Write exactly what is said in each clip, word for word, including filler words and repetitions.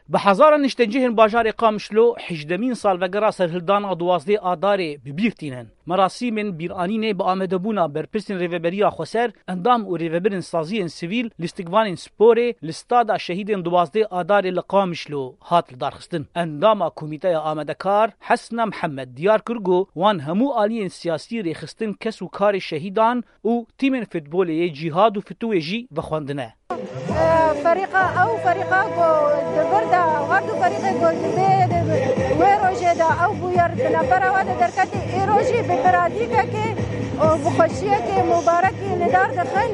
Bi hezaran niştecihên bajarê Qamişlo hejdemîn salvegera serhildana duwazdeh Adarê bi bîr tînin. Merasîmên bîranînê bi amadebûna berpirsên Rêveberiya Xweser, endam û rêvebirên saziyên sivîl, lîstikvanên sporê li stada şehîdên duwazdeh Adarê li Qamişlo hat lidarxistin. Endama Komîteya Amadekar Hesna Mihemed diyar kir ku wan hemû aliyên siyasî, rêxistin, kes û karê şehîdan û tîmên futbolê yê Cîhad û Fituwê jî vexwendine. Ferîqa, ew ferîqa ku di vir de, her du ferîqê ku di vê, di wê rojê de ew bûyer bi nefera we de derketî, îro jî bi biradîkekê û bi xweşiyekê mubarekî li dar dixin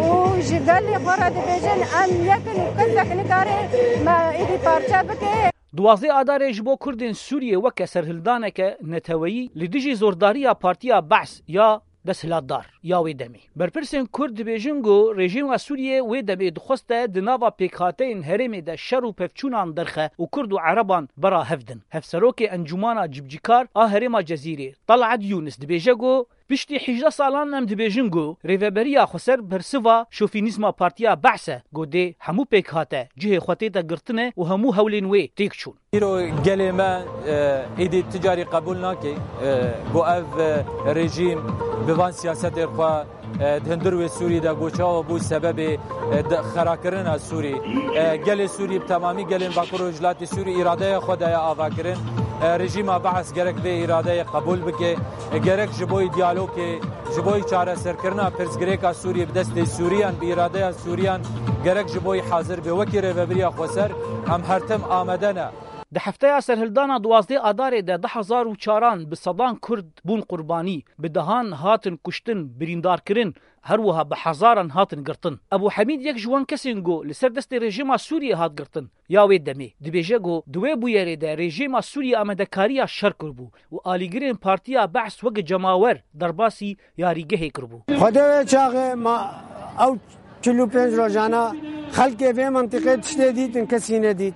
û ji gelê xwe re dibêjin, em yek in û kesek nikare me êdî parçe bike. Duwazdeh Adarê ji bo Kurdên Sûriyê weke serhildaneke neteweyî li dijî zordariya Partiya Be's ya desthilatdar ya wê demê. Berpirsên Kurd dibêjin ku rejîma Sûriyê wê demê dixweste di nava pêkhateyên herêmê de şer û pevçûnan derxe û Kurd û Ereban bera hev din. Hevserokê Encûmana Cibcîkar a herêma Cezîrê, Talat Yûnis, dibêje ku piştî hejdeh salan em dibêjin ku Rêveberiya Xweser bersiva şofînîzma Partiya Be's e, ku dê hemû pêkhate cihê xwe tête girtine û hemû hewlên wê têk çûn. Îro gelê me, e, êdî ti carî qebûl nake, e, ku ev, e, rejîm bi van siyasetên xwe, e, di hundir wê Sûrî de ku çawa bû sebebê, e, de xerakirina Sûrî. E, gelê Sûrî bi temamî gelên Bakur Rojhilatê Sûrî îradeya xwe daye avakirin. E, rejîma Be's gerek vê îradeyê qebûl bike. E, gerek ji bo diyalogê, ji bo çareserkirina pirsgirêka Sûrî bi destê Sûriyan, bi îradeya Sûriyan gerek ji bo hazir be. Wekî Rêveberiya Xweser em her tim amade ne. Di hefteya serhildana duwazdeh Adarê de du hezar û çaran bi sedan Kurd bûn qurbanî, bi dehan hatin kuştin, birîndarkirin, her wiha bi hezaran hatin girtin. Ebû Hemîd yek ji wan kesên ku li ser destê rejîma Sûriyê hat girtin, ya wê demê. Dibêje ku di wê bûyerê de rejîma Sûriyê amadekariya şer kiribû û alîgirên Partiya Be's weke cemawer derbasî yarîgehê kiribû. Xwedê wê çaxê ma ew çil û pênc rojana xelkê vê mentiqê tiştê dîtin, kesî nedît.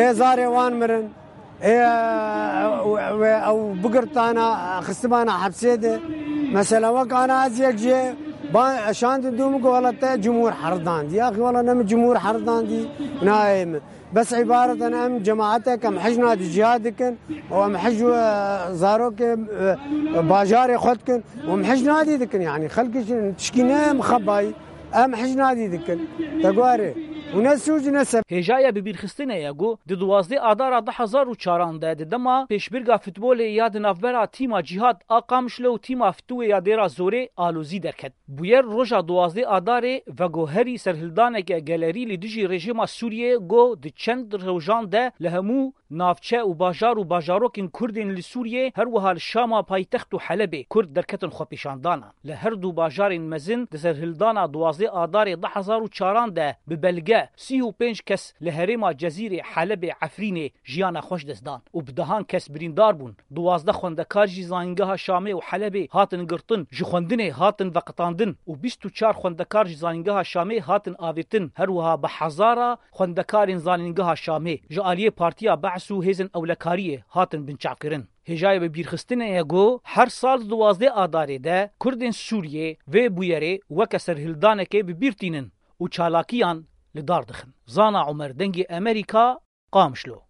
Ê zarê wan mirin. Ê, we, ew bigirtana, xistibana hepsê de. Mesela wek ana ez yek jê ba-, şandin dû min ku wela te cumhur herdandî. Yaxî wela ne min cumhur herdandî, nayê min. Bes îbaret in em cemaetek em hej nadî cihad dikin û em hej, e, zarokê, e, bajarê xwe dikin û em hej nadî dikin. Yanî xelkê jî tişkî ne em xebayî. Em hej nadî dikin. Te guherê. Û ne sûc ne sebeb. Hêjaya bibîrxistinê ye ku di duwazdeh Adara du hezar û çaran de di dema pêşbirga futbolê ya di navbera tîma Cîhad a Qamişlo û tîma Fituwê ya Dêra Zorê alozî derket. Bûyer roja duwazdeh Adarê veguherî serhildaneke gelerî li dijî rejîma Sûriyê ku di çend rojan de li hemû navçe û bajar û bajarokên Kurdên li Sûriyê, her wiha li Şama paytext û Helebê Kurd derketin xwepêşandana. Li her du bajarên mezin di serhildana duwazdeh Adarê du hezar û çaran de bi belge sî û pênc kes li herêma Cezîrê, Helebê, Efrînê jiyana xwe ji dest dan û bi dehan kes birîndar bûn. Duwazdeh xwendekar jî zanîngeha Şamê û Helebê hatin girtin, ji xwendinê hatin veqetandin û bîst û çar xwendekar ji zanîngeha Şamê hatin avêtin. Her wiha bi hezara xwendekarên zanîngeha Şamê ji aliyê Partiya Be's û hêzên ewlekariyê hatin binçavkirin. Hêjayê bibîrxistinê ye ku her sal di duwazdeh Adarê de Kurdên Sûriyê vê bûyerê weke serhildanekê bi bîr tînin û çalakiyan li dar dixin. Zana Omer, Dengê Emerîka, Qamişlo.